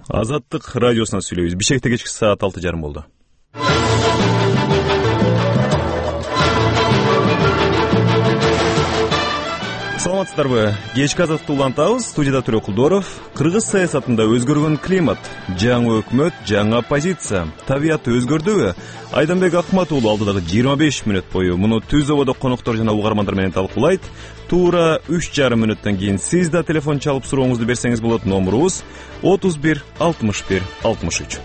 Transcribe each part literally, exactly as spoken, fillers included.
Азаттык радиосунан сүйлөйбүз. Бишкекте кечки саат алты жарым болду. Саламатсыздарбы? Кечки азаттыкты улантабыз. Студияда Төрө Кулдоров. Кыргыз саясатында өзгөргөн климат, жаңы өкмөт, жаңы оппозиция, табият өзгөрдүбү? Айданбек Акмат уулу алдыдагы жыйырма беш мүнөт бою муну Түз ободо коноктор жана угармандар менен талкуулайт. Туура үч жарым мүнөттөн кийин сиз да телефон чалып сурооңузду берсеңиз болот. Номурубуз отуз бир алтымыш бир алтымыш үч.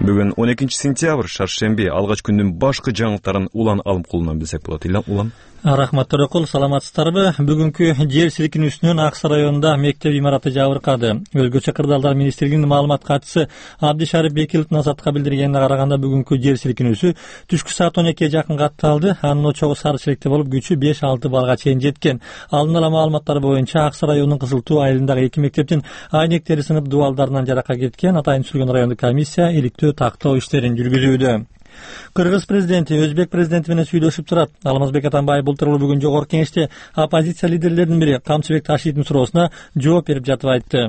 Бүгүн он экинчи сентябрь, шаршемби. Алгач күндүн башкы жаңылыктарын Улан Алымкулунан билсек болот. Улан. Рахмат Төрөкул, саламатсыздарбы? Бүгүнкү жер силкинүүсүнөн Аксы районунда мектеп имараты жабыркады. Өзгөчө кырдаалдар министрлигинин маалымат катчысы Абдишарып Бекиловдун Азатка билдиргенине караганда бүгүнкү жер силкинүүсү түшкү саат он экиге жакын катталды. Анын очогу сары чилекте болуп, күчү беш алты балга чейин жеткен. Алдын ала маалыматтар боюнча Аксы районунун Кызыл Туу айылындагы эки мектептин айнектери сынып дубалдарынан жаракат кеткен. Атайын түзүлгөн райондук комиссия иликтөө тактоо иштерин жүргүзүүдө. Кыргыз президенти Өзбек президенти менен сүйлөшүп турат. Алмазбек Атамбаев былтыр бүгүн жогорку кеңеште оппозиция лидерлеринин бири Камчыбек Ташиевдин суроосуна жооп берип жатып айтты.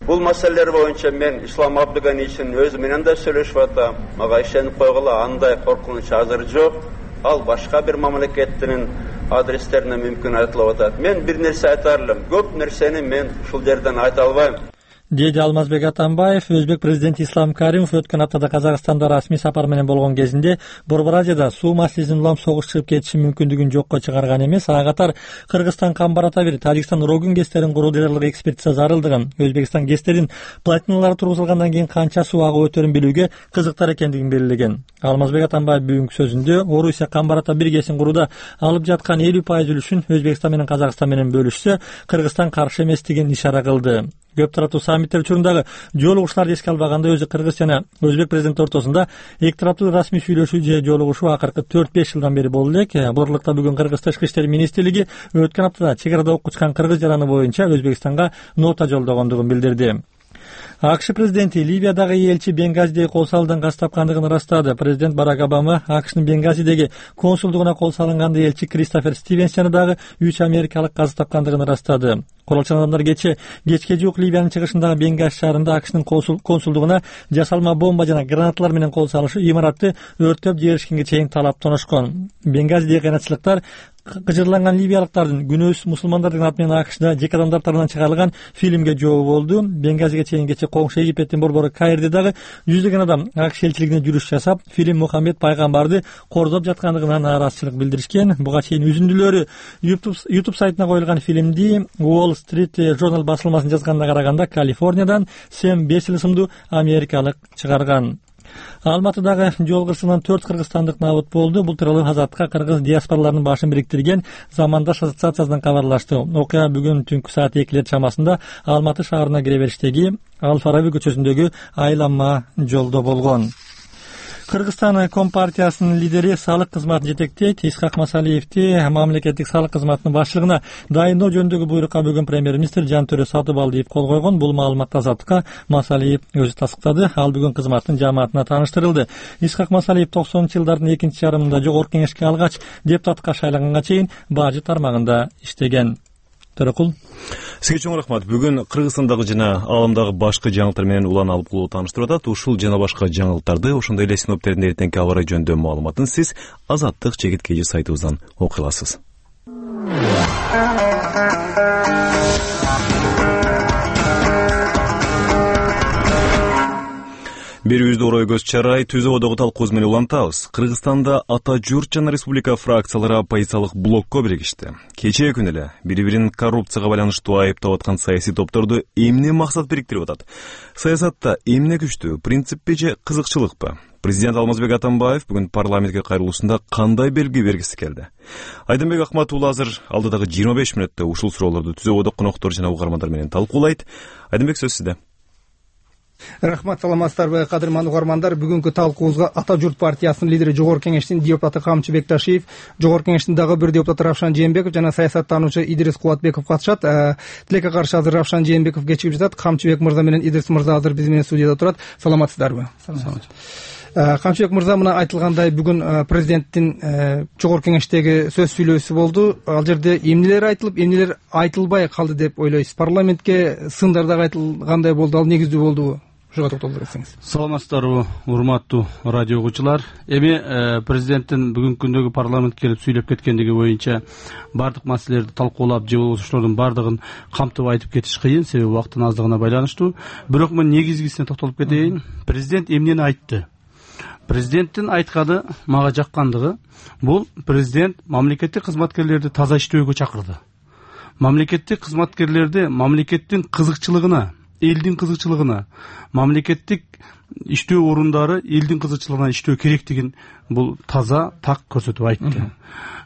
Бул маселелер боюнча мен Ислам Абдыганиевичтин өзү менен да сүйлөшүп атам. Мага ишенип койгула, андай коркунуч азыр жок. Ал башка бир мамлекеттин адрестерине мүмкүн айтылып атат. Мен бир нерсе айта алам. Көп нерсени мен ушул жерден айта албайм. Деди Алмазбек Атамбаев. Өзбек президенти Ислам Каримов өткөн аптада Казакстанда расмий сапар менен болгон кезинде Борбор Азияда суу маселесин улам согуш чыгып кетиши мүмкүндүгүн жокко чыгарган эмес. Ага катар Кыргызстан Камбарата бир Тажикстан Рогун гэстерин куруу даярлык экспертиза зарылдыгын, Өзбекстан гэстерин плотиналары тургузулгандан кийин канча суу агып өтөрүн билүүгө кызыктар экендигин белгилеген. Алмазбек Атамбаев бүгүнкү сөзүндө Орусия Камбарата бир гэсин курууда алып жаткан элүү пайыз үлүшүн Өзбекстан менен Казакстан менен бөлүшсө, Кыргызстан каршы эместигин ишара кылды. Көп тараптуу саммиттер учурундағы жолугушууларды эске албаганда өзү Кыргыз жана Өзбек президенти ортосунда эки тараптуу расмий сүйлөшүү же жолугушуу акыркы төрт беш жылдан бери болду элек. Бул ырлыкта бүгүн Кыргыз тышкы иштер министрлиги өткөн аптада чек арада окучкан кыргыз жараны боюнча Өзбекстанга нота жолдогондугун билдирди. АКШ президенти Ливиядагы элчи Бенгазидеги кол салуудан каз тапкандыгын ырастады. Президент Барак Обама АКШнын Бенгазидеги консулдугуна кол салынганда элчи Кристофер Стивенс жана дагы үч америкалык каз тапкандыгын ырастады. Куралчан адамдар кече кечке жуук Ливиянын чыгышындагы Бенгази шаарында АКШнын консулдугуна жасалма бомба жана гранаталар менен кол салышы имаратты өрттөп жиберишкенге чейин талаптанышкан. Бенгазидеги кыйнатчылыктар кыжырланган ливиялыктардын күнөөсүз мусулмандардын аты менен АКШда жеке адамдар тарабынан чыгарылган фильмге жооп болду. Бенгазиге чейин кече коңшу Египеттин борбору Каирде дагы жүздөгөн адам АКШ элчилигине жүрүш жасап, фильм Мухаммед пайгамбарды кордоп жаткандыгына нааразычылык билдиришкен. Буга чейин үзүндүлөрү YouTube сайтына коюлган фильмди Wall Street Journal басылмасынын жазганына караганда Калифорниядан Сэм Бесил ысымдуу америкалык чыгарган. Алматыдагы жол кырсыгынан төрт кыргызстандык набыт болду. Бул тууралуу Азатка кыргыз диаспораларынын башын бириктирген Замандаш ассоциациясынан кабарлашты. Окуя бүгүн түнкү саат экилер чамасында Алматы шаарына кире бериштеги Ал Фараби көчөсүндөгү айланма жолдо болгон. Кыргызстан Компартиясынын лидери салык кызматын жетектейт. Исхак Масалиевди мамлекеттик салык кызматынын башчылыгына дайындоо жөнүндөгү буйрукка бүгүн премьер-министр Жантөрө Сатыбалдиев кол койгон. Бул маалыматты Азаттыкка Масалиев өзү тастыктады. Ал бүгүн кызматтын жааматына тааныштырылды. Исхак Масалиев токсонунчу жылдардын экинчи жарымында жогорку кеңешке алгач депутатка шайланганга чейин бажы тармагында иштеген. Төрөкул. Сизге чоң рахмат. Бүгүн Кыргызстандагы жана ааламдагы башкы жаңылыктар менен Улан Алымкулуу тааныштырып атат. Ушул жана башка жаңылыктарды, ошондой эле синоптиктердин эртеңки аба ырайы жөнүндө маалыматын сиз Азаттык Чекит Кежи сайтыбыздан окуй аласыз. Берүүбүздү орой көз чарай Түз ободогу талкууз менен улантабыз. Кыргызстанда ата журт жана республика фракциялары оппозициялык блокко биригишти. Кечээ күнү эле бири-бирин коррупцияга байланыштуу айыптап аткан саясий топторду эмне максат бириктирип атат? Саясатта эмне күчтүү, принциппи же кызыкчылыкпы? Президент Алмазбек Атамбаев бүгүн парламентке кайрылуусунда кандай белги бергиси келди? Айданбек Акмат уулу азыр алдыдагы жыйырма беш мүнөттө ушул суроолорду Түз ободо коноктор жана угармандар менен талкуулайт. Айданбек, сөз сизде. Рахмат, саламатсыздарбы кадырман угармандар. Бүгүнкү талкуубузга Ата журт партиясынын лидери Жогорку кеңештин депутаты Камчыбек Ташиев, Жогорку кеңештин дагы бир депутаты Равшан Жээнбеков жана саясаттануучу Идрис Кубатбеков катышат. Тилекке каршы азыр Равшан Жээнбеков кечигип жатат. Камчыбек мырза менен Идрис мырза азыр биз менен студияда турат. Саламатсыздарбы? Камчыбек мырза, мына айтылгандай бүгүн президенттин жогорку кеңештеги сөз сүйлөөсү болду. Ал жерде эмнелер айтылып, эмнелер айтылбай калды деп ойлойсуз? Парламентке сындар дагы айтылгандай болду. Ал негиздүү болдубу? Ушуга токтолуп берсеңиз. Саламатсыздарбы, урматтуу радио угуучулар. Эми президенттин бүгүнкү күндөгү парламентке келип сүйлөп кеткендиги боюнча бардык маселелерди талкуулап, же болбосо ошолордун бардыгын камтып айтып кетиш кыйын, себеби убакыттын аздыгына байланыштуу. Бирок мен негизгисине токтолуп кетейин. Президент эмнени айтты? Президенттин айтканы мага жаккандыгы, бул президент мамлекеттик кызматкерлерди таза иштөөгө чакырды. Мамлекеттик кызматкерлерди мамлекеттин кызыкчылыгына, элдин кызыкчылыгына, мамлекеттик иштөө орундары элдин кызыкчылыгына иштөө керектигин бул таза так көрсөтүп айтты.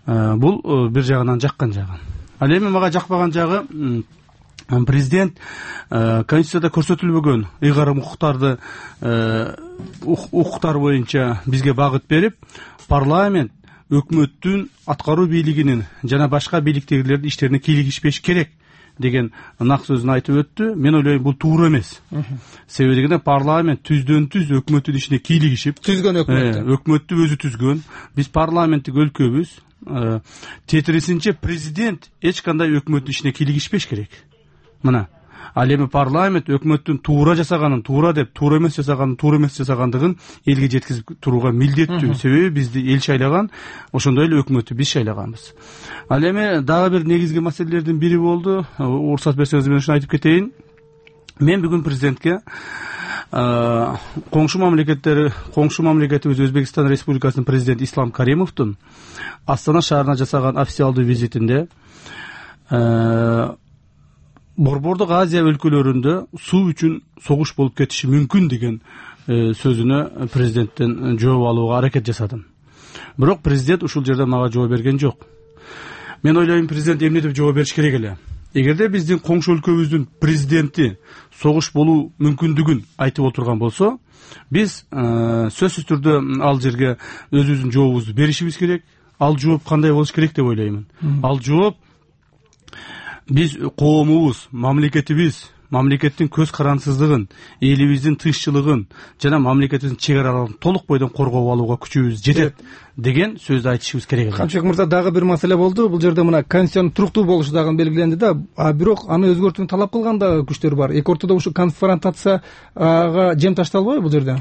Бул бир жагынан жаккан жагы. Ал эми мага жакпаган жагы, президент Конституцияда көрсөтүлбөгөн ыйгарым укуктарды укуктар боюнча бизге багыт берип, парламент өкмөттүн аткаруу бийлигинин жана башка бийликтегилердин иштерине кийлигишпеш керек деген нак сөзүн айтып өттү. Мен ойлойм, бул туура эмес. Себеби дегенде парламент түздөн түз өкмөттүн ишине кийлигишип, түзгөн өкмөттү. Өкмөттү өзү түзгөн. Биз парламенттик өлкөбүз. Тетирисинче президент эч кандай өкмөттүн ишине кийлигишпеш керек. Мына, ал эми парламент өкмөттүн туура жасаганын туура деп, туура эмес жасаганын туура эмес жасагандыгын элге жеткизип турууга милдеттүү. Себеби бизди эл шайлаган, ошондой эле өкмөттү биз шайлаганбыз. Ал эми дагы бир негизги маселелердин бири болду. Уруксат берсеңиз мен ушуну айтып кетейин. Мен бүгүн президентке коңшу мамлекеттери, коңшу мамлекетибиз Өзбекстан Республикасынын президенти Ислам Каримовдун Астана шаарына жасаган официалдуу визитинде Борбордук Азия өлкөлөрүндө суу үчүн согуш болуп кетиши мүмкүн деген сөзүнө президенттен жооп алууга аракет жасадым. Бирок президент ушул жерде мага жооп берген жок. Мен ойлойм, президент эмне деп жооп бериш керек эле. Эгерде биздин коңшу өлкөбүздүн президенти согуш болуу мүмкүндүгүн айтып отурган болсо, биз сөзсүз түрдө ал жерге өзүбүздүн жообубузду беришибиз керек. Ал жооп кандай болуш керек деп ойлоймун. Ал жооп биз коомубуз, мамлекетибиз, мамлекеттин көз карансыздыгын, элибиздин тынччылыгын жана мамлекетибиздин чек араларын толук бойдон коргоп алууга күчүбүз жетет деген сөздү айтышыбыз керек. Камчыбек мырза, дагы бир маселе болду. Бул жерде мына конституциянын туруктуу болушу дагы белгиленди да, а бирок аны өзгөртүүнү талап кылган да күчтөр бар. Эки ортодо ушу конфронтацияга жем ташталбайбы бул жерде?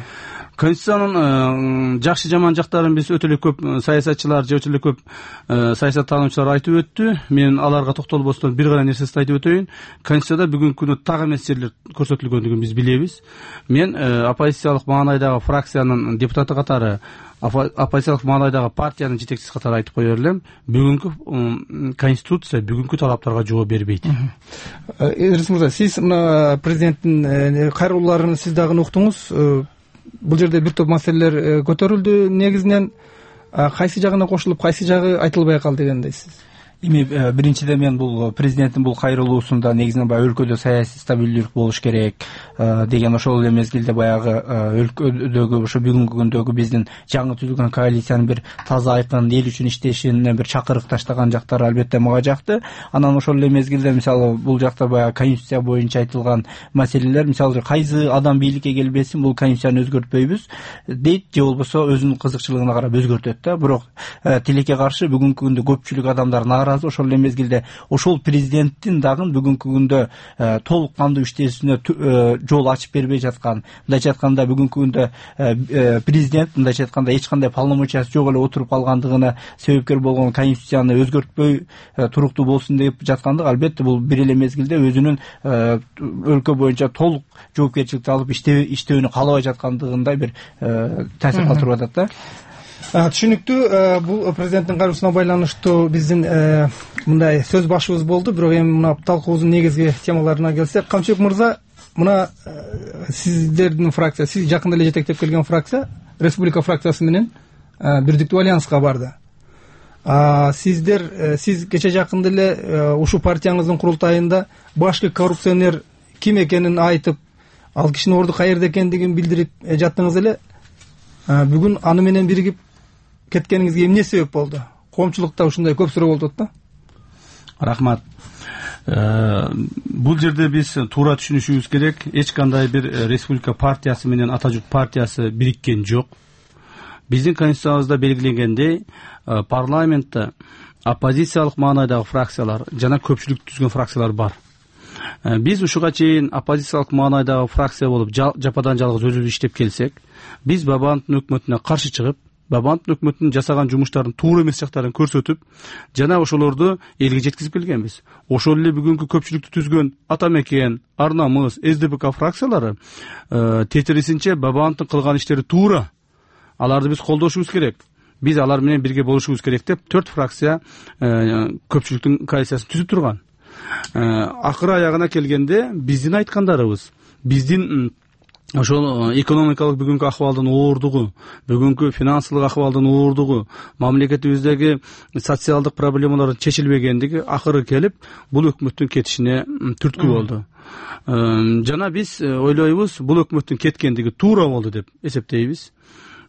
Конституциянын жакшы жаман жактарын биз өтө эле көп саясатчылар же өтө эле көп саясаттануучулар айтып өттү. Мен аларга токтолбостон бир гана нерсесин айтып өтөйүн. Конституцияда бүгүнкү күнү так эмес жерлер көрсөтүлгөндүгүн биз билебиз. Мен оппозициялык маанайдагы фракциянын депутаты катары, оппозициялык маанайдагы партиянын жетекчиси катары айтып кое берлем, бүгүнкү конституция бүгүнкү талаптарга жооп бербейт. Идрис мырза, сиз мына президенттин кайрылууларын сиз дагы уктуңуз. Бул жерде бир топ маселелер көтөрүлдү. Негизинен кайсы жагына кошулуп, кайсы жагы айтылбай калды дегендейсиз? Эми биринчиден мен бул президенттин бул кайрылуусунда негизинен баягы өлкөдө саясий стабилдүүлүк болуш керек деген, ошол эле мезгилде баягы өлкөдөгү ошо бүгүнкү күндөгү биздин жаңы түзүлгөн коалициянын бир таза айкын эл үчүн иштешине бир чакырык таштаган жактары албетте мага жакты. Анан ошол эле мезгилде мисалы бул жакта баягы конституция боюнча айтылган маселелер, мисалы кайсы адам бийликке келбесин бул конституцияны өзгөртпөйбүз дейт, же болбосо өзүнүн кызыкчылыгына карап өзгөртөт да. Бирок тилекке каршы бүгүнкү күндө көпчүлүк адамдар ошол эле мезгилде ошол президенттин дагы бүгүнкү күндө толук кандуу иштешине жол ачып бербей жаткан, мындайча айтканда бүгүнкү күндө президент мындайча айтканда эч кандай полномочиясы жок эле отуруп калгандыгына себепкер болгон конституцияны өзгөртпөй туруктуу болсун деп жаткандык, албетте бул бир эле мезгилде өзүнүн өлкө боюнча толук жоопкерчиликти алып иштөөнү каалабай жаткандыгындай бир таасир калтырып атат да. Түшүнүктүү. Бул президенттин кайрылуусуна байланыштуу биздин мындай сөз башыбыз болду. Бирок эми мына талкуубуздун негизги темаларына келсек, Камчыбек мырза, мына сиздердин фракция, сиз жакында эле жетектеп келген фракция Республика фракциясы менен бирдиктүү альянска барды. Сиздер, сиз кече жакында эле ушул партияңыздын курултайында башкы коррупционер ким экенин айтып, ал кишинин орду каерде экендигин билдирип жаттыңыз эле. Бүгүн аны менен биригип кеткениңизге эмне себеп болду? Коомчулукта ушундай көп суроо болуп атат да. Рахмат. Бул жерде биз туура түшүнүшүбүз керек. Эч кандай бир республика партиясы менен Ата журт партиясы бириккен жок. Биздин конституциябызда белгиленгендей, парламентте оппозициялык маанайдагы фракциялар жана көпчүлүк түзгөн фракциялар бар. Биз ушуга чейин оппозициялык маанайдагы фракция болуп жападан жалгыз өзүбүз иштеп келсек, биз Бабановдун өкмөтүнө каршы чыгып, Бабановдун өкмөтүнүн жасаган жумуштарын туура эмес жактарын көрсөтүп, жана ошолорду элге жеткизип келгенбиз. Ошол эле бүгүнкү көпчүлүктү түзгөн Ата Мекен, Ар Намыс, эс дэ пэ ка фракциялары тетирисинче Бабановдун кылган иштери туура. Аларды биз колдошубуз керек. Биз алар менен бирге болушубуз керек деп төрт фракция көпчүлүктүн коалициясын түзүп турган. Акыры аягына келгенде биздин айткандарыбыз, биздин ошол экономикалык бүгүнкү акыбалдын оордугу, бүгүнкү финансылык акыбалдын оордугу, мамлекетибиздеги социалдык проблемалардын чечилбегендиги акыры келип, бул өкмөттүн кетишине түрткү болду. Жана биз ойлойбуз, бул өкмөттүн кеткендиги туура болду деп эсептейбиз.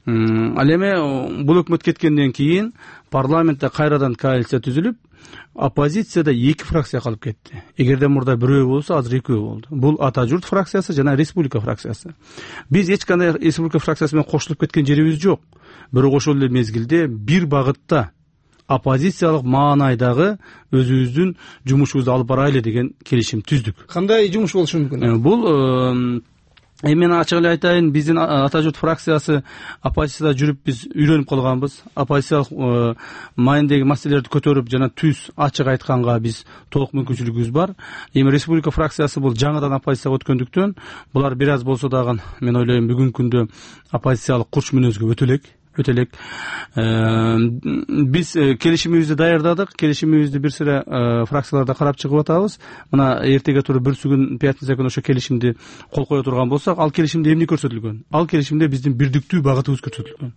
Ал эми бул өкмөт кеткенден кийин парламентте кайрадан коалиция түзүлүп, оппозицияда эки фракция калып кетти. Эгерде мурда бирөө болсо, азыр экөө болду. Бул Ата журт фракциясы жана Республика фракциясы. Биз эч кандай Республика фракциясы менен кошулуп кеткен жерибиз жок. Бирок ошол эле мезгилде бир багытта оппозициялык маанайдагы өзүбүздүн жумушубузду алып барайлы деген келишим түздүк. Кандай жумуш болушу мүмкүн? Бул Эми мен ачык эле айтайын, биздин Ата журт фракциясы оппозицияда жүрүп биз үйрөнүп калганбыз. Оппозициялык маанидеги маселелерди көтөрүп жана түз ачык айтканга биз толук мүмкүнчүлүгүбүз бар. Эми Республика фракциясы бул жаңыдан оппозицияга өткөндүктөн, булар бир аз болсо дагы мен ойлойм бүгүнкү күндө оппозициялык курч мүнөзгө өтө элек. өтө элек. Биз келишимибизди даярдадык. Келишимибизди бир сыра фракцияларда карап чыгып атабыз. Мына эртеге туруп бүрсү күн, пятница күнү ошо келишимди кол кое турган болсак, ал келишимде эмне көрсөтүлгөн? Ал келишимде биздин бирдиктүү багытыбыз көрсөтүлгөн.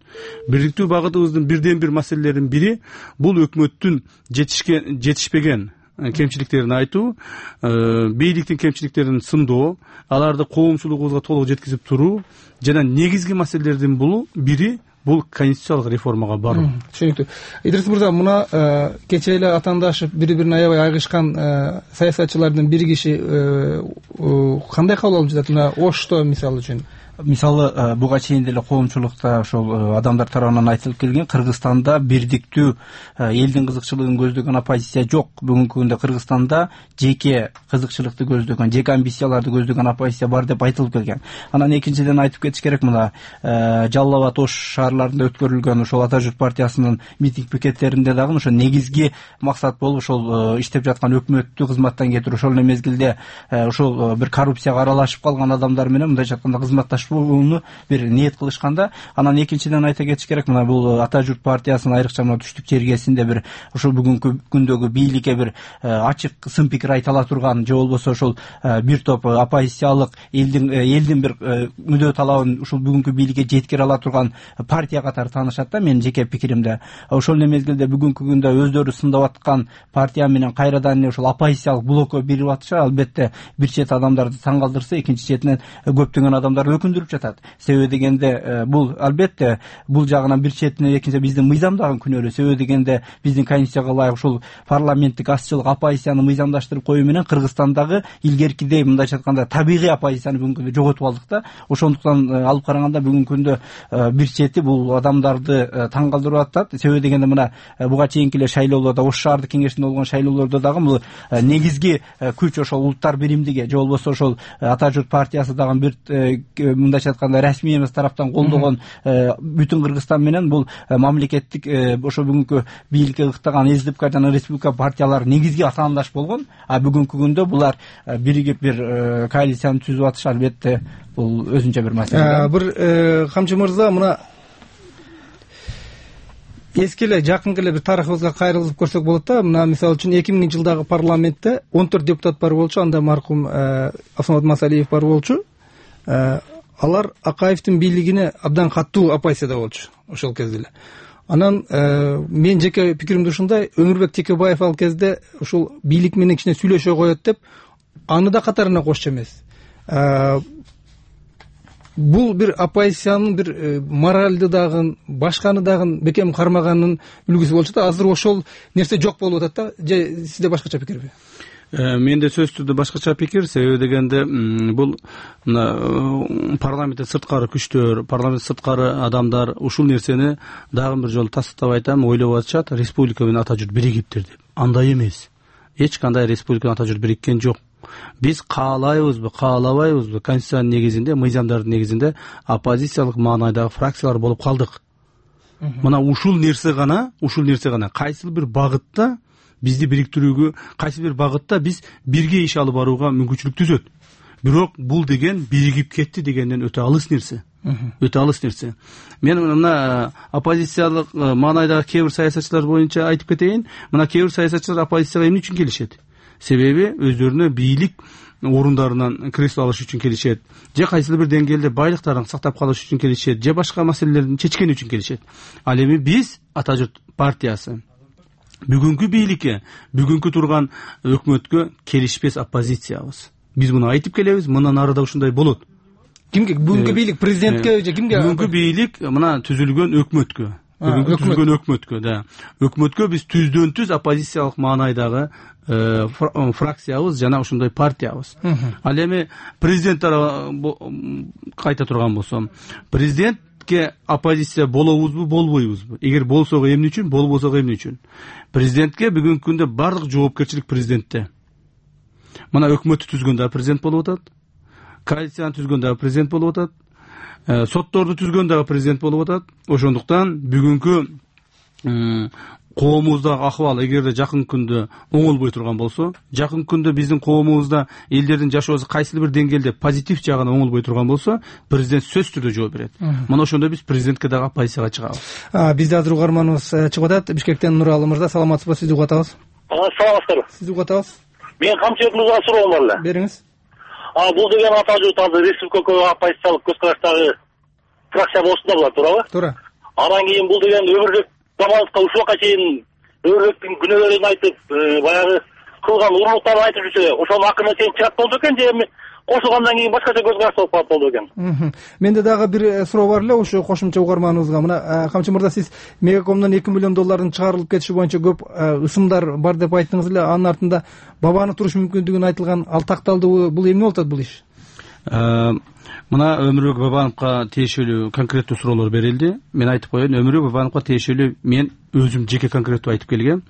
Бирдиктүү багытыбыздын бирден бир маселелеринин бири бул өкмөттүн жетишкен жетишпеген кемчиликтерин айтуу, бийликтин кемчиликтерин сындоо, аларды коомчулугубузга толук жеткизип туруу жана негизги маселелердин бул бири бул конституциялык реформага баруу. Түшүнүктүү. Идрис мырза, мына кечээ эле атаандашып бири-бирин аябай айгышкан саясатчылардын бир киши кандай кабыл алып жатат? Мына Ошто мисалы үчүн. Мисалы, буга чейин деле коомчулукта ошол адамдар тарабынан айтылып келген, Кыргызстанда бирдиктүү элдин кызыкчылыгын көздөгөн оппозиция жок. Бүгүнкү күндө Кыргызстанда жеке кызыкчылыкты көздөгөн, жеке амбицияларды көздөгөн оппозиция бар деп айтылып келген. Анан экинчиден айтып кетиш керек, мына Жалал абад, Ош шаарларында өткөрүлгөн ошол Ата журт партиясынын митинг пикеттеринде дагы ошо негизги максат болуп ошол иштеп жаткан өкмөттү кызматтан кетирүү, ошол эле мезгилде ошол бир коррупцияга аралашып калган адамдар менен мындайча айтканда кызматташ буну бир ниет кылышканда. Анан экинчиден айта кетиш керек, мына бул Ата журт партиясынын айрыкча мына түштүк чергесинде бир ошол бүгүнкү күндөгү бийликке бир ачык сын пикир айта ала турган, же болбосо ошол бир топ оппозициялык элдин элдин бир мүдө талабын ушул бүгүнкү бийликке жеткире ала турган партия катары таанышат да, менин жеке пикиримде. Ошол эле мезгилде бүгүнкү күндө өздөрү сындап аткан партия менен кайрадан эле ошол оппозициялык блокко бирип атышат. Албетте бир чет адамдарды таң калтырса, экинчи четинен көптөгөн адамдар өкүндүрүп жатат. Себеби дегенде бул албетте бул жагынан бир четинен экинчи биздин мыйзамдагы күнөөлүү. Себеби дегенде биздин конституцияга ылайык ушул парламенттик азчылык оппозицияны мыйзамдаштырып коюу менен Кыргызстандагы илгеркидей мындайча айтканда табигый оппозицияны бүгүнкү күндө жоготуп алдык да. Ошондуктан алып караганда бүгүнкү күндө бир чети бул адамдарды таң калтырып атат. Себеби дегенде мына буга чейинки эле шайлоолордо, Ош шаардык кеңешинде болгон шайлоолордо дагы бул негизги күч ошол улуттар биримдиги же болбосо ошол Ата журт партиясы дагы бир мындайча айтканда расмий эмес тараптан колдогон бүтүн Кыргызстан менен бул мамлекеттик ошо бүгүнкү бийликке ыктаган эс дэ пэ ка жана Республика партиялары негизги атаандаш болгон. А бүгүнкү күндө булар биригип бир коалицияны түзүп атышы албетте бул өзүнчө бир маселе. Бир Камчы мырза, мына эски эле жакынкы эле бир тарыхыбызга кайрылып көрсөк болот да. Мына мисалы үчүн эки миңинчи жылдагы парламентте он төрт депутат бар болчу. Анда маркум Асмамат Масалиев бар болчу. Алар Акаевдин бийлигине абдан катуу оппозицияда болчу ошол кезде эле. Анан мен жеке пикиримде ушундай, Өмүрбек Текебаев ал кезде ушул бийлик менен кичине сүйлөшө коет деп аны да катарына кошчу эмес. Бул бир оппозициянын бир моралды дагы, башканы дагы бекем кармаганын үлгүсү болчу да. Азыр ошол нерсе жок болуп атат да. Же сизде башкача пикирби? Менде сөзсүз түрдө башкача пикир. Себеби дегенде бул мына парламенттен сырткары күчтөр, парламент сырткары адамдар ушул нерсени дагы бир жолу тастыктап айтам, ойлоп атышат, республика менен ата журт биригиптир деп. Андай эмес. Эч кандай республика менен ата журт бириккен жок. Биз каалайбызбы, каалабайбызбы, конституциянын негизинде, мыйзамдардын негизинде оппозициялык маанайдагы фракциялар болуп калдык. Мына ушул нерсе гана, ушул нерсе гана кайсы бир багытта бизди бириктирүүгө, кайсы бир багытта биз бирге иш алып барууга мүмкүнчүлүк түзөт. Бирок бул деген биригип кетти дегенден өтө алыс нерсе. Өтө алыс нерсе. Мен мына оппозициялык маанайдагы кээ бир саясатчылар боюнча айтып кетейин. Мына кээ бир саясатчылар оппозицияга эмне үчүн келишет? Себеби өздөрүнө бийлик орундарынан кресло алыш үчүн келишет, же кайсыл бир деңгээлде байлыктарын сактап калыш үчүн келишет, же башка маселелерди чечкен үчүн келишет. Ал эми биз Ата журт партиясы бүгүнкү бийликке, бүгүнкү турган өкмөткө келишпес оппозициябыз. Биз муну айтып келебиз, мындан ары да ушундай болот. Кимге? Бүгүнкү бийлик президентке же кимге? Бүгүнкү бийлик мына түзүлгөн өкмөткө. Бүгүнкү түзүлгөн өкмөткө, да. Өкмөткө биз түздөн түз оппозициялык маанайдагы фракциябыз жана ушундай партиябыз. Ал эми президент кайта турган болсом, президентке оппозиция болобузбу, болбойбузбу? Эгер болсок эмне үчүн, болбосок эмне үчүн? Президентке бүгүнкү күндө бардык жоопкерчилик президентте. Мына өкмөттү түзгөндө президент болуп атат, коалицияны түзгөндө президент болуп атат, сотторду түзгөндө президент болуп атат. Ошондуктан бүгүнкү коомубуздагы акыбал эгерде жакын күндө оңолбой турган болсо, жакын күндө биздин коомубузда элдердин жашоосу кайсы бир деңгээлде позитив жагына оңолбой турган болсо, президент сөзсүз түрдө жооп берет. Мына ошондо биз президентке дагы оппозицияга чыгабыз. Бизде азыр угарманыбыз чыгып атат. Бишкектен Нуралы мырза, саламатсызбы? Сизди угатабыз. Саламатсыздарбы? Сизди угатабыз. Мен Камчыбек мырзага суроом бар эле. Бериңиз. А бул деген Ата журт азыр республикалык оппозициялык көз караштагы фракция болсун да булар, туурабы? Туура. Анан кийин бул деген өмүрлүк Бабановго ушуга чейин өмүрлүктүн күнөөлөрүн айтып, баягы кылган урурлуктарын айтып жүрсө, ошонун акырына чейин чыгат болду экен, же эми кошулгандан кийин башкача көз караш болуп калат болду экен. Менде дагы бир суроо бар эле ошо кошумча угарманыбызга. Мына Камчы мырза, сиз Мегакомдон эки миллион доллардын чыгарылып кетиши боюнча көп ысымдар бар деп айттыңыз эле. Анын артында Бабанов туруш мүмкүндүгүн айтылган, ал такталдыбы? Бул эмне болуп атат бул иш? Мына Өмүрбек Бабановго тиешелүү конкреттүү суроолор берилди. Мен айтып коеюн, Өмүрбек Бабановго тиешелүү мен өзүм жеке конкреттүү айтып келгем.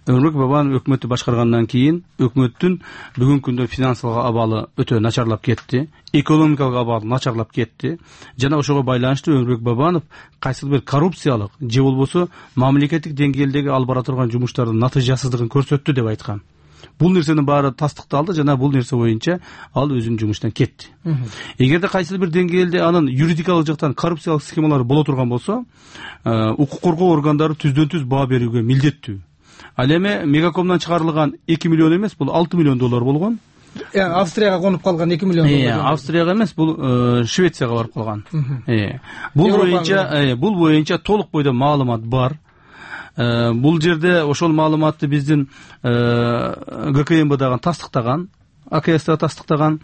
Өмүрбек Бабанов өкмөттү башкаргандан кийин өкмөттүн бүгүнкү күндө финансылык абалы өтө начарлап кетти, экономикалык абалы начарлап кетти. Жана ошого байланыштуу Өмүрбек Бабанов кайсыл бир коррупциялык же болбосо мамлекеттик деңгээлдеги алып бара турган жумуштардын натыйжасыздыгын көрсөттү деп айткан. Бул нерсенин баары тастыкталды жана бул нерсе боюнча ал өзүнүн жумушунан кетти. Эгерде кайсы бир деңгээлде анын юридикалык жактан коррупциялык схемалары боло турган болсо, укук коргоо органдары түздөн түз баа берүүгө милдеттүү. Ал эми Мегакомдон чыгарылган эки миллион эмес, бул алты миллион доллар болгон. Австрияга конуп калган эки миллион доллар. Австрияга эмес, бул Швецияга барып калган. Бул боюнча, бул боюнча толук бойдо маалымат бар. Бул жерде ошол маалыматты биздин ГКМБ дагы тастыктаган, АКС да тастыктаган.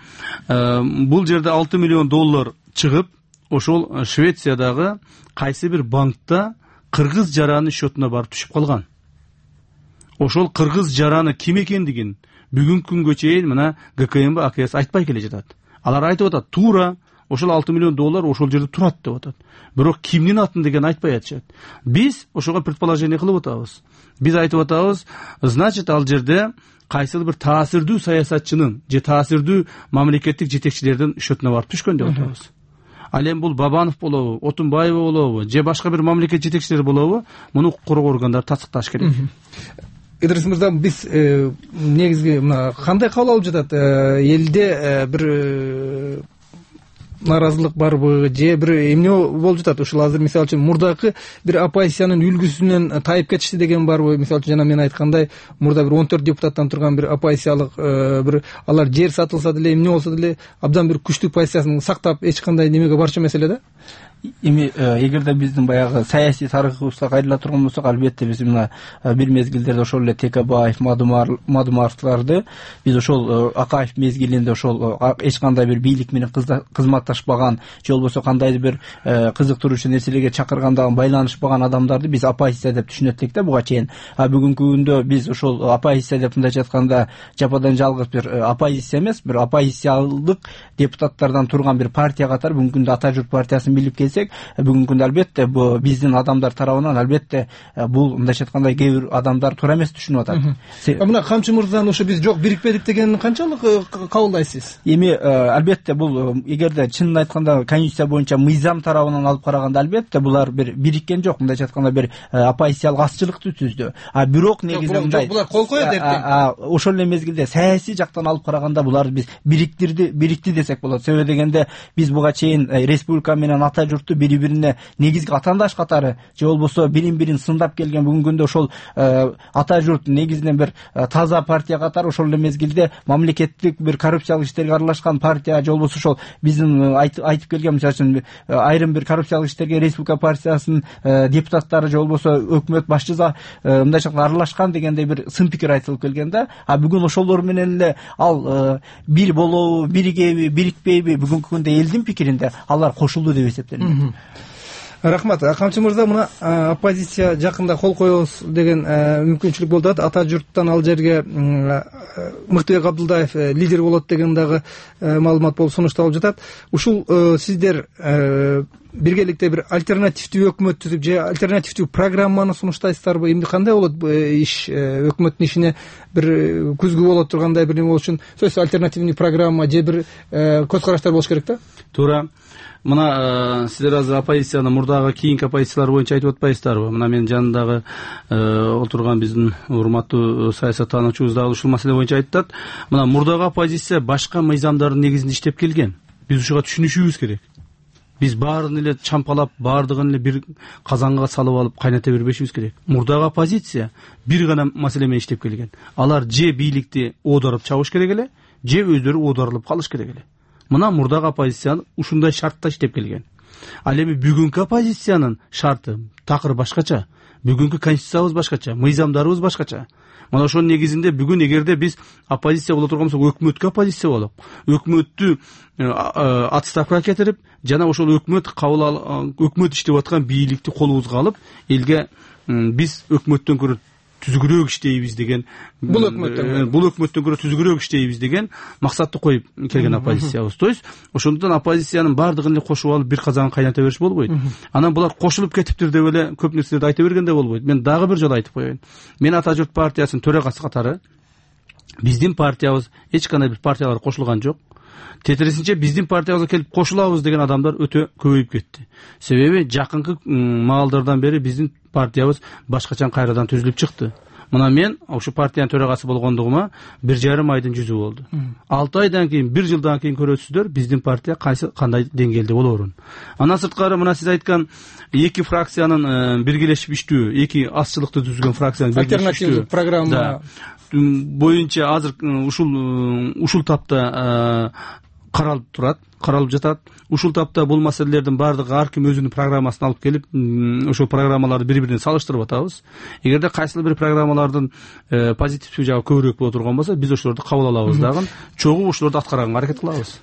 Бул жерде алты миллион доллар чыгып, ошол Швециядагы кайсы бир банкта кыргыз жаранын счетуна барып түшүп калган. Ошол кыргыз жараны ким экендигин бүгүнкү күнгө чейин мына ГКМБ, АКС айтпай келе жатат. Алар айтып атат, туура ошол алты миллион доллар ошол жерде турат деп атат. Бирок кимдин атын деген айтпай атышат. Биз ошого предположение кылып атабыз. Биз айтып атабыз, значит, ал жерде кайсыл бир таасирдүү саясатчынын же таасирдүү мамлекеттик жетекчилердин счетуна барып түшкөн деп атабыз. Ал эми бул Бабанов болобу, Отунбаева болобу, же башка бир мамлекет жетекчилери болобу, муну укук коргоо органдары тастыкташ керек. Идрис мырза, биз негизги мына кандай кабыл алып жатат? Элде бир нааразылык барбы, же бир эмне болуп жатат? Ушул азыр мисалы үчүн мурдакы бир оппозициянын үлгүсүнөн тайып кетишти деген барбы? Мисалы үчүн жана мен айткандай, мурда бир он төрт депутаттан турган бир оппозициялык бир алар жер сатылса деле, эмне болсо деле абдан бир күчтүү позициясын сактап, эч кандай немеге барчу маселе да. эми эгерде биздин баягы саясий тарыхыбызга кайрыла турган болсок, албетте биз мына бир мезгилдерде ошол эле Текебаев, Мадумаровдорду биз ошол Акаев мезгилинде ошол эч кандай бир бийлик менен кызматташпаган же болбосо кандайдыр бир кызыктыруучу нерселерге чакырганда байланышпаган адамдарды биз оппозиция деп түшүнөт элек да буга чейин. А бүгүнкү күндө биз ошол оппозиция деп мындайча айтканда жападан жалгыз бир оппозиция эмес, бир оппозициялык депутаттардан турган бир партия катары бүгүнкү күндө Ата журт партиясын билип келсек, бүгүнкү күндө албетте бул биздин адамдар тарабынан албетте бул мындайча айтканда кээ бир адамдар туура эмес түшүнүп атат. Мына Камчы мырзанын ошо биз жок бирикпедик дегенин канчалык кабылдайсыз? Эми албетте бул эгерде чынын айтканда конституция боюнча мыйзам тарабынан алып караганда албетте булар бир бириккен жок, мындайча айтканда бир оппозициялык азчылыкты түздү. А бирок негизинен мындай булар кол коет эртең. Ошол эле мезгилде саясий жактан алып караганда буларды биз бириктирди, бирикти десек болот. Себеби дегенде биз буга чейин республика менен Ата журтту бири-бирине негизги атаандаш катары же болбосо бирин-бирин сындап келген бүгүнкү күндө ошол Ата журт негизинен бир таза партия катары ошол эле мезгилде мамлекеттик бир коррупциялык иштерге аралашкан партия же болбосо ошол биздин айтып келген мисалы үчүн айрым бир коррупциялык иштерге республика партиясынын депутаттары же болбосо өкмөт башчысы мындайча аралашкан дегендей бир сын пикир айтылып келген да. А бүгүн ошолор менен эле ал бир болобу, биригеби, бирикпейби бүгүнкү күндө элдин пикиринде алар кошулду деп эсептелинет. Рахмат. Камчы мырза, мына оппозиция жакында кол коебуз деген мүмкүнчүлүк болуп атат. Ата журттан ал жерге Мыктыбек Абдулдаев лидер болот деген дагы маалымат болуп сунушталып жатат. Ушул сиздер биргеликте бир альтернативдүү өкмөт түзүп же альтернативдүү программаны сунуштайсыздарбы? Эмне кандай болот иш? Өкмөттүн ишине бир күзгү боло тургандай бир неме болуш үчүн сөзсүз альтернативный программа же бир көз караштар болуш керек да? Туура. Мына сиздер азыр оппозицияны мурдагы кийинки оппозициялар боюнча айтып атпайсыздарбы? Мына менин жанымдагы отурган биздин урматтуу саясаттануучубуз дагы ушул маселе боюнча айтат. Мына мурдагы оппозиция башка мыйзамдардын негизинде иштеп келген. Биз ушуга түшүнүшүбүз керек. Биз баарын эле чампалап, баардыгын эле бир казанга салып алып кайната бербешибиз керек. Мурдагы оппозиция бир гана маселе менен иштеп келген. Алар же бийликти оодарып чабыш керек эле, же өздөрү оодарылып калыш керек эле. Мына мурдагы оппозиция ушундай шартта иштеп келген. Ал эми бүгүнкү оппозициянын шарты такыр башкача. Бүгүнкү конституциябыз башкача, мыйзамдарыбыз башкача. Мына ошонун негизинде бүгүн эгерде биз оппозиция боло турган болсок, өкмөткө оппозиция болуп, өкмөттү отставкага кетирип, жана ошол өкмөт кабыл алып, өкмөт иштеп аткан бийликти колубузга алып, элге биз өкмөттөн көрө түзүгүрөөк иштейбиз деген, бул өкмөттөн бул өкмөттөн көрө түзүгүрөөк иштейбиз деген максатты коюп келген оппозициябыз. То есть ошондуктан оппозициянын баардыгын эле кошуп алып бир казан кайната бериш болбойт. Анан булар кошулуп кетиптир деп эле көп нерселерди айта бергенде болбойт. Мен дагы бир жолу айтып коеюн. Мен Ата журт партиясынын төрагасы катары биздин партиябыз эч кандай бир партияларга кошулган жок. Тетирисинче биздин партиябызга келип кошулабыз деген адамдар өтө көбөйүп кетти. Себеби жакынкы маалдардан бери биздин партиябыз башкача кайрадан түзүлүп чыкты. Мына мен ошо партиянын төрагасы болгондугума бир жарым айдын жүзү болду. алты айдан кийин, бир жылдан кийин көрөсүздөр биздин партия кайсы кандай деңгээлде болоорун. Андан сырткары мына сиз айткан эки фракциянын биргелешип иштөө, эки азчылыкты түзгөн фракциянын биргелешип альтернативдүү программа боюнча азыр ушул ушул тапта каралып турат, каралып жатат. Ушул тапта бул маселелердин баардыгы ар ким өзүнүн программасын алып келип, ошол программаларды бири-бирине салыштырып атабыз. Эгерде кайсыл бир программалардын позитивдүү жагы көбүрөөк боло турган болсо, биз ошолорду кабыл алабыз дагы, чогуу ошолорду аткарганга аракет кылабыз.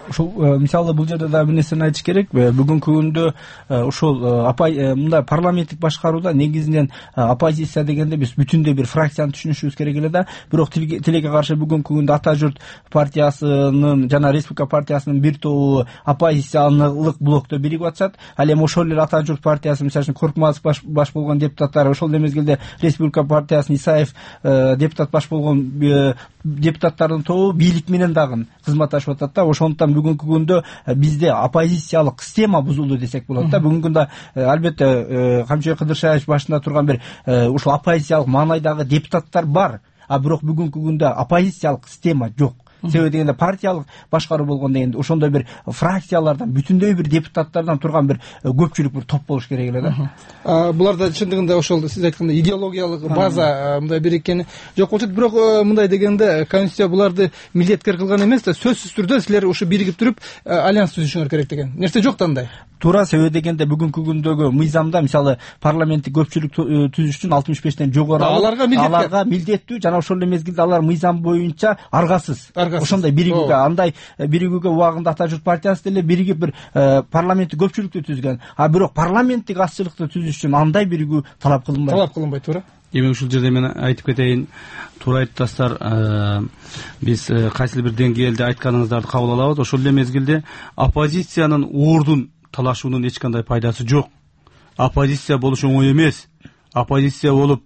Ошол мисалы бул жерде дагы бир нерсени айтыш керек. Бүгүнкү күндө ошол мындай парламенттик башкарууда негизинен оппозиция дегенде биз бүтүндөй бир фракцияны түшүнүшүбүз керек эле да. Бирок тилекке каршы бүгүнкү күндө Ата журт партиясынын жана республика партиясынын бир тобу оппозициялык блокто биригип атышат. Ал эми ошол эле Ата журт партиясы мисалы үчүн Коркмазов баш, баш болгон депутаттар, ошол эле мезгилде республика партиясынын Исаев депутат баш болгон депутаттардын тобу бийлик менен дагы кызматташып атат да. Ошондуктан бүгүнкү күндө бизде оппозициялык система бузулду десек болот да. Бүгүнкү күндө албетте Камчыбек Кыдыршаевич башында турган бир ушул оппозициялык маанайдагы депутаттар бар, а бирок бүгүнкү күндө оппозициялык система жок. Себеби дегенде партиялык башкаруу болгондо эми ошондой бир фракциялардан, бүтүндөй бир депутаттардан турган бир көпчүлүк бир топ болуш керек эле да. Буларда чындыгында ошол сиз айткандай идеологиялык база мындай бириккени жок болчу. Бирок мындай дегенде конституция буларды милдеткер кылган эмес да, сөзсүз түрдө силер ушу биригип туруп альянс түзүшүңөр керек деген нерсе жок да андай. туура. Себеби дегенде бүгүнкү күндөгү мыйзамда мисалы парламенттик көпчүлүк түзүш үчүн алтымыш бештен жогору аларга аларга милдеттүү жана ошол эле мезгилде алар мыйзам боюнча аргасыз ошондой биригүүгө андай биригүүгө убагында Ата журт партиясы деле биригип бир парламенттик көпчүлүктү түзгөн. А бирок парламенттик азчылыкты түзүш үчүн андай биригүү талап кылынбайт. Талап кылынбайт, туура. Эми ушул жерде мен айтып кетейин, туура айттыңыздар. Биз кайсыл бир деңгээлде айтканыңыздарды кабыл алабыз. Ошол эле мезгилде оппозициянын ордун талашуунун эч кандай пайдасы жок. Оппозиция болуш оңой эмес. Оппозиция болуп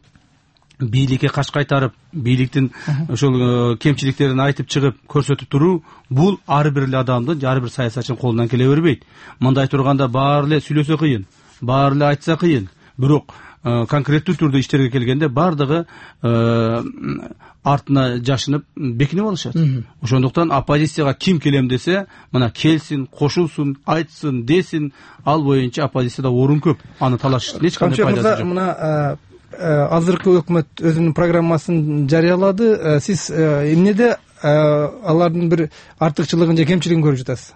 бийликке каш кайтарып, бийликтин ошол кемчиликтерин айтып чыгып, көрсөтүп туруу бул ар бир эле адамдын, ар бир саясатчынын колунан келе бербейт. Мындай турганда баары эле сүйлөсө кыйын, баары эле айтса кыйын. Бирок конкреттүү түрдө иштерге келгенде бардыгы артына жашынып бекинип алышат. Ошондуктан оппозицияга ким келем десе, мына келсин, кошулсун, айтсын, десин, ал боюнча оппозицияда орун көп. Аны талаштын эч кандай пайдасы жок. Мына азыркы өкмөт өзүнүн программасын жарыялады. Сиз эмнеде алардын бир артыкчылыгын же кемчилигин көрүп жатасыз?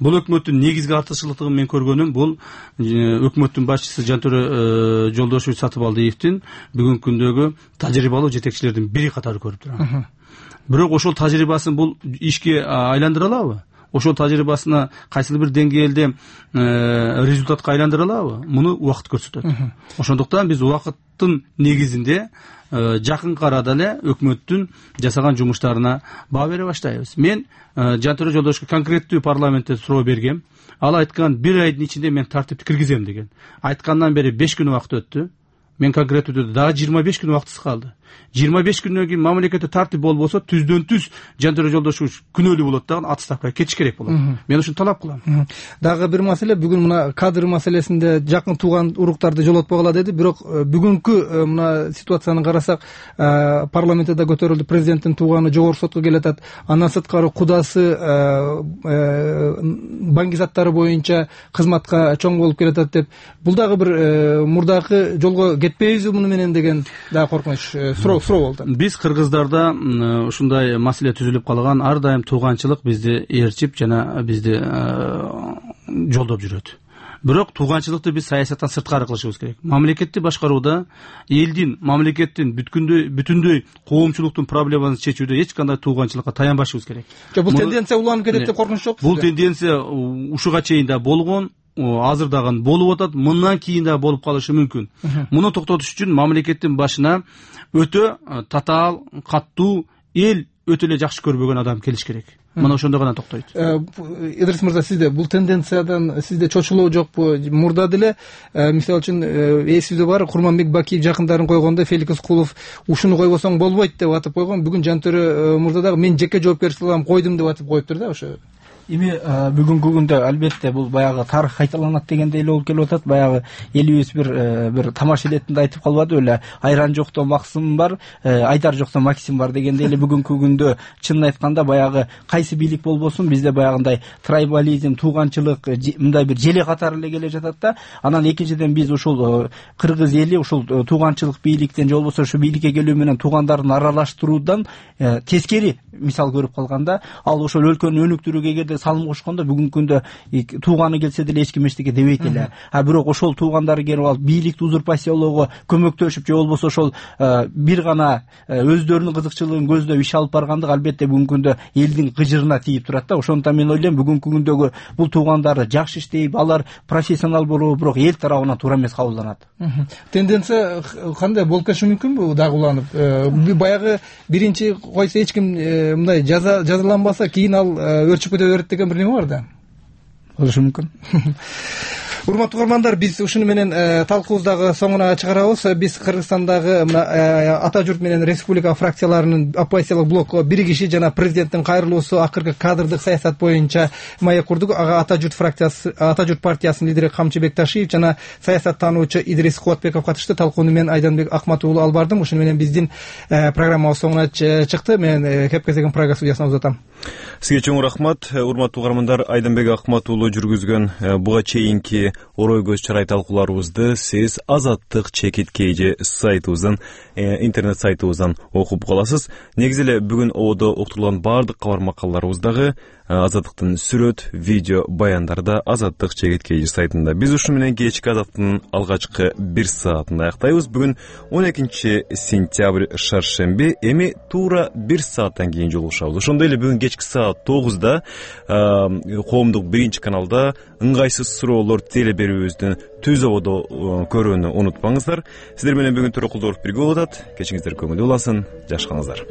Бул өкмөттүн негизги артыкчылыгын мен көргөнүм бул өкмөттүн башчысы Жантөре Жолдошевич Сатыбалдиевдин бүгүнкү күндөгү тажрыйбалуу жетекчилердин бири катары көрүп турам. Бирок ошол тажрыйбасын бул ишке айландыра алабы? Ошол тажрыйбасына кайсыл бир деңгээлде результатка айландыра алабы? Муну убакыт көрсөтөт. Ошондуктан биз убакыттын негизинде жакынкы арада эле өкмөттүн жасаган жумуштарына баа бере баштайбыз. Мен Жантөре Жолдошевичке конкреттүү парламентте суроо бергем. Ал айткан бир айдын ичинде мен тартипти киргизем деген. Айткандан бери беш күн убакыт өттү. Мен конкреттүү түрдө дагы жыйырма беш күн убактысы калды. жыйырма беш күндөн кийин мамлекетте тартип болбосо түздөн түз Жантөре Жолдошевич күнөөлүү болот дагы отставкага кетиш керек болот. Мен ушуну талап кылам. Дагы бир маселе, бүгүн мына кадр маселесинде жакын тууган уруктарды жолотпогула деди, бирок бүгүнкү мына ситуацияны карасак, парламентте да көтөрүлдү, президенттин тууганы жогорку сотко келатат, андан сырткары кудасы баңгизаттары боюнча кызматка чоң болуп келатат деп, бул дагы бир мурдакы жолго кетпейбизби муну менен деген дагы коркунуч суроо суроо болду. Биз кыргыздарда ушундай маселе түзүлүп калган, ар дайым тууганчылык бизди ээрчип жана бизди жолдоп жүрөт. Бирок тууганчылыкты биз саясаттан сырткары кылышыбыз керек. Мамлекетти башкарууда элдин, мамлекеттин бүткүндөй бүтүндөй коомчулуктун проблемасын чечүүдө эч кандай тууганчылыкка таянбашыбыз керек. Бул тенденция уланып кетет деп коркунуч жок? Бул тенденция ушуга чейин да болгон, азыр дагы болуп атат, мындан кийин да болуп калышы мүмкүн. Муну токтотуш үчүн мамлекеттин башына өтө татаал, каттуу, эл өтө эле жакшы көрбөгөн адам келиш керек. Мына ошондо гана токтойт. Идрис мырза, сизде бул тенденциядан сизде чочулоо жокпу? Мурда деле мисалы үчүн эсибизде бар, Курманбек Бакиев жакындарын койгондо Феликс Кулов ушуну койбосоң болбойт деп атып койгон. Бүгүн Жантөре мырза дагы мен жеке жоопкерчилик алам, койдум деп атып коюптур да. Ошо эми бүгүнкү күндө албетте бул баягы тарых кайталанат дегендей эле болуп келип атат. Баягы элибиз бир бир тамаш илетинде айтып калбады беле, айран жокто Максим бар, Айдар жокто Максим бар дегендей эле бүгүнкү күндө чынын айтканда баягы кайсы бийлик болбосун бизде баягындай трайбализм, тууганчылык мындай бир желе катары эле келе жатат да. Анан экинчиден биз ушул кыргыз эли ушул тууганчылык бийликтен же болбосо ушу бийликке келүү менен туугандарын аралаштыруудан тескери мисал көрүп калганда, ал ошол өлкөнүн өнүктүрүүгө эгерде салым кошкондо бүгүнкү күндө тууганы келсе деле эч ким эчтеке дебейт эле. А бирок ошол туугандары келип алып бийликти узурпациялоого көмөктөшүп же болбосо ошол бир гана өздөрүнүн кызыкчылыгын көздөп иш алып баргандык албетте бүгүнкү күндө элдин кыжырына тийип турат да. Ошондуктан мен ойлойм бүгүнкү күндөгү бул туугандары жакшы иштейт, алар профессионал болобу, бирок эл тарабынан туура эмес кабылданат. Тенденция кандай болуп кетиши мүмкүнбү дагы уланып? Баягы биринчи койсо эч ким мындай жазаланбаса, кийин ал өрчүп кете берет деген бир неме бар да. Болушу мүмкүн. Урматтуу көрөрмандар, биз ушуну менен талкуубуздагы соңуна чыгарабыз. Биз Кыргызстандагы Ата журт менен Республика фракцияларынын оппозициялык блок биригиши жана президенттин кайрылуусу акыркы кадрдык саясат боюнча маек курдук. Ага Ата журт фракциясы, Ата журт партиясынын лидери Камчы Бекташиев жана саясаттануучу Идрис Кубатбеков катышты. Талкууну мен Айданбек Акмат уулу алып бардым. Ушуну менен биздин программабыз соңуна чыкты. Мен кеп кезеген программа студиясына узатам. Сизге чоң рахмат. Урматтуу угармандар, Айданбек Акмат уулу жүргүзгөн буга чейинки орой көз чарай талкууларыбызды сиз Азаттык чекит kg сайтыбыздан, интернет сайтыбыздан окуп каласыз. Негизи эле бүгүн ободо уктурулган баардык кабар макалларыбыздагы Азаттыктын сүрөт, видео баяндары да Азаттык чекит kg сайтында. Биз ушу менен кечки Азаттыктын алгачкы бир саатын аяктайбыз. Бүгүн он экинчи сентябрь шаршемби, эми туура бир сааттан кийин жолугушабыз. Ошондой эле бүгүн кечки саат тогузда коомдук биринчи каналда ыңгайсыз суроолор теле берүүбүздүн түз ободо көрүүнү унутпаңыздар. Сиздер менен бүгүн Төрөкулдуов бирге болуп атат. Кечиңиздер көңүлдүү улансын, жашкаңыздар.